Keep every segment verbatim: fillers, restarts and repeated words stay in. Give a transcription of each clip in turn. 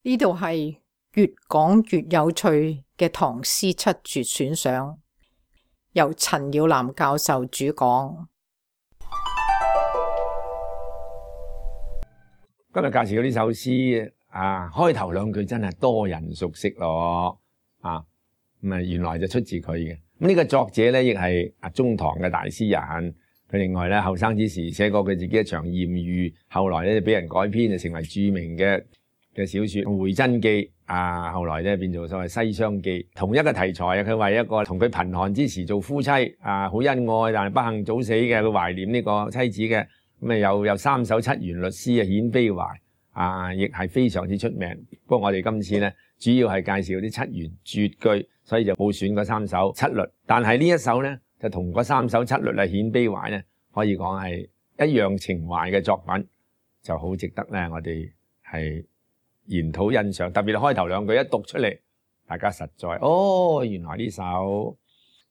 呢度係越講越有趣嘅唐詩七絕選賞，由陳耀南教授主講。今日介紹呢首詩啊，開頭兩句真係多人熟悉咯，啊咁啊，原來就出自佢嘅。咁呢個作者咧，亦係啊中唐嘅大詩人。佢另外咧後生之時寫過佢自己一場艷遇，後來咧就俾人改編，就成為著名嘅嘅小說《回真記》啊。後來咧變做所謂《西廂記》，同一個題材啊。佢為一個同佢貧寒之時做夫妻啊，好恩愛，但係不幸早死嘅，佢懷念呢個妻子嘅。咁啊，有有三首七言律詩啊，顯悲懷啊，亦係非常之出名。不過我哋今次咧，主要係介紹啲七言絕句，所以就冇選嗰三首七律。但係呢一首咧，就同嗰三首七律啊，顯悲懷咧，可以講係一樣情懷嘅作品，就好值得咧，我哋係研討欣賞。特別係開頭兩句一讀出嚟，大家實在哦，原來呢首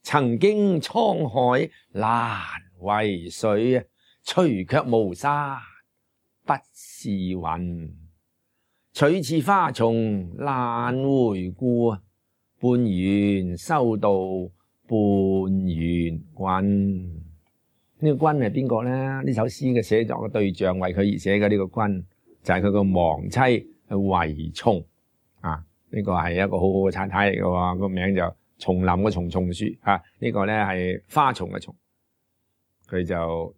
曾經滄海難為水啊，除卻巫山不是雲，取次花叢難回顧啊，半緣修道半緣君。呢個君係邊個咧？呢首詩嘅寫作嘅對象，為佢而寫嘅呢個君，就係佢個亡妻惠松啊。呢個係一個好好嘅太太嚟嘅喎，個名就叢林嘅叢，松樹啊。呢個咧係花叢嘅叢。佢就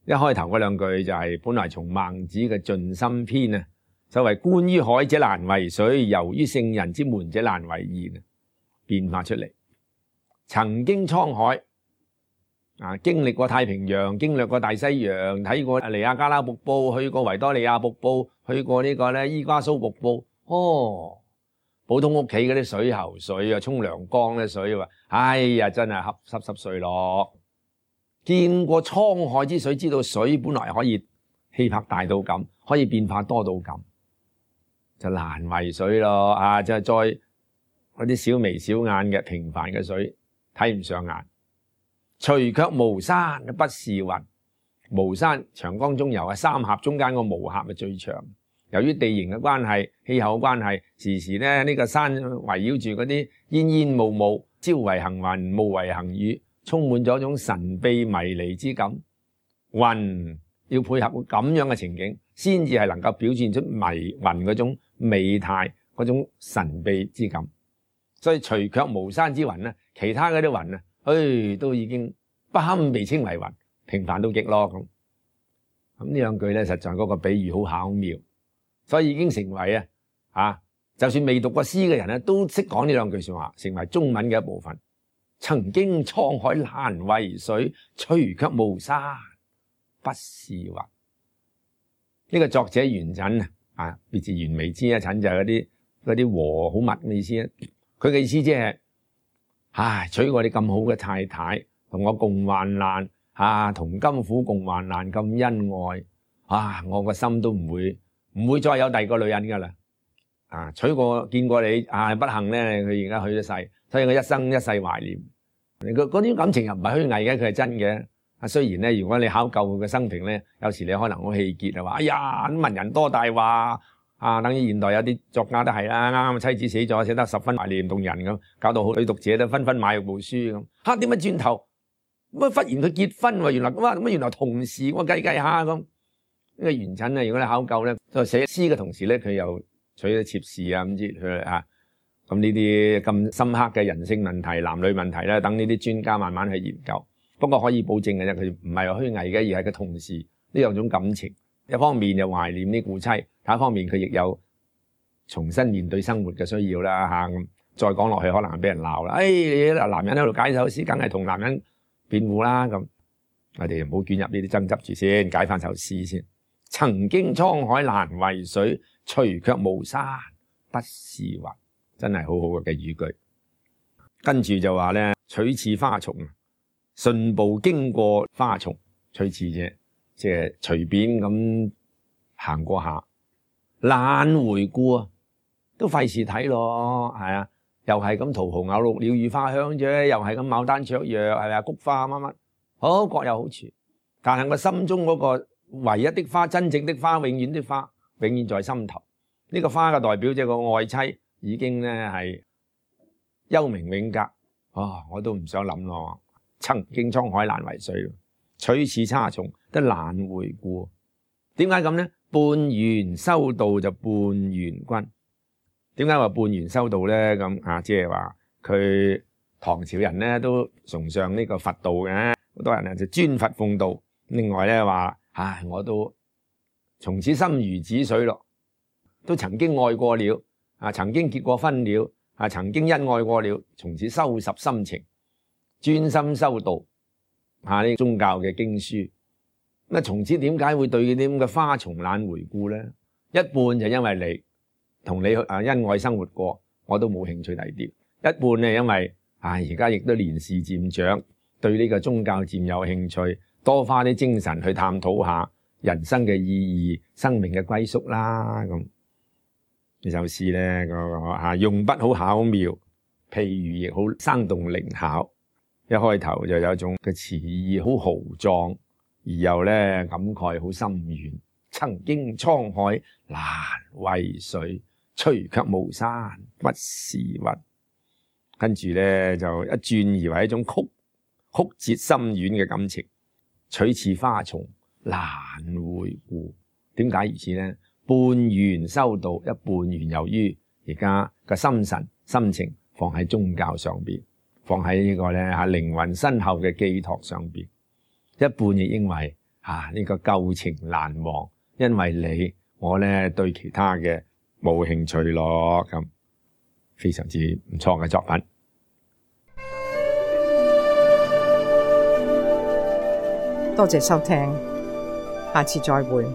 一開頭嗰兩句就係本來從孟子嘅盡心篇啊，所謂觀於海者難為水，遊於聖人之門者難為言啊，變化出嚟。曾經滄海啊，經歷過太平洋，經歷過大西洋，睇過尼亞加拉瀑布，去過維多利亞瀑布，去過呢個咧伊瓜蘇瀑布。哦，普通屋企嗰啲水喉水啊，沖涼缸嘅水啊，哎呀，真係濕濕濕碎咯。見過滄海之水，知道水本來可以氣魄大到咁，可以變化多到咁，就難為水咯。啊，就係再嗰啲小眉小眼嘅平凡嘅水睇唔上眼。除卻巫山不是雲，巫山長江中游啊，三峽中間個巫峽係最長。由於地形嘅關係、氣候嘅關係，時時咧呢、這個山圍繞住嗰啲煙煙霧霧，朝為行雲，暮為行雨，充滿咗一種神秘迷離之感。雲要配合咁樣嘅情景，先至係能夠表現出迷雲嗰種美態、嗰種神秘之感。所以除卻巫山之雲咧，其他嗰啲雲啊，唉，都已經不堪被稱為雲，平凡到極咯咁。咁呢兩句咧，實在嗰個比喻好巧妙，所以已經成為啊，啊，就算未讀過詩嘅人咧，都識講呢兩句說話，成為中文嘅一部分。曾經滄海難為水，除卻巫山不是雲。呢、這個作者元稹啊，別字完美之一，稹就係嗰啲嗰啲和好密嘅意思啊。佢嘅意思即係，唉，娶過你咁好嘅太太，同我共患難，啊，同甘苦共患難咁恩愛，啊，我個心都唔會唔會再有第二個女人噶啦，啊，娶過見過你，啊，不幸咧，佢而家去咗世，所以我一生一世懷念。嗰嗰啲感情又唔係虛偽嘅，佢係真嘅。啊，雖然咧，如果你考究佢嘅生平咧，有時你可能好氣結啊，話哎呀，文人多大話。啊，等於現代有啲作家都係啦，啱啱妻子死咗，寫得十分懷念動人咁，搞到好女讀者都紛紛買部書咁。嚇，點解轉頭乜忽然佢結婚喎？原來哇，咁原來同時我計計下咁。呢個元稹啊，如果你考究咧，就寫詩嘅同時咧，佢又娶咗妾侍啊咁之佢啊。咁呢啲咁深刻嘅人性問題、男女問題咧，等呢啲專家慢慢去研究。不過可以保證嘅啫，佢唔係話虛偽嘅，而係佢同時呢兩種感情。一方面又懷念啲故妻，另一方面佢亦有重新面對生活嘅需要啦嚇。咁再講落去可能係俾人鬧啦。誒，男人喺度解首詩，梗係同男人辯護啦。咁我哋唔好捲入呢啲爭執住先，解翻首詩先。曾經滄海難為水，除卻巫山不是雲，真係好好嘅語句。跟住就話咧，取次花叢，順步經過花叢，取次啫。即係隨便咁行過下，懶回顧啊，都費事睇咯，係啊，又係咁桃紅柳綠鳥語花香啫，又係咁牡丹芍藥，係啊，菊花乜乜，好各有好處。但係我心中嗰個唯一的花，真正的花，永遠的花，永遠在心頭。呢個花嘅代表即係個愛妻已經咧係幽冥永隔，啊！我都唔想諗咯。曾經滄海難為水，取次差從得難回顧。點解咁咧？半緣修道就半緣君。點解話半緣修道咧？咁啊，即係話佢唐朝人咧都崇尚呢個佛道嘅，好多人咧就尊佛奉道。另外咧話，唉，我都從此心如止水咯，都曾經愛過了，啊，曾經結過婚了，啊，曾經恩愛過了，從此收拾心情，專心修道，啊，呢宗教嘅經書。咁啊，從此點解會對啲咁嘅花叢懶回顧咧？一半就因為你同你啊恩愛生活過，我都冇興趣第啲；一半咧因為啊而家亦都年事漸長，對呢個宗教漸有興趣，多花啲精神去探討下人生嘅意義、生命嘅歸宿啦。咁呢首詩咧個啊用筆好巧妙，譬喻亦好生動靈巧。一開頭就有一種嘅詞意好豪壯，而又咧感慨好深遠。曾經滄海難為水，吹卻巫山不是雲。跟住咧就一轉而為一種曲曲折深遠嘅感情。取次花叢難回顧，點解如此呢？半緣修道，一半緣由於而家個心神心情放喺宗教上邊，放喺呢個咧吓靈魂身後嘅寄託上邊。一半亦因為啊呢個舊情難忘，因為你我咧對其他嘅冇興趣咯。咁非常之唔錯嘅作品。多謝收聽，下次再會。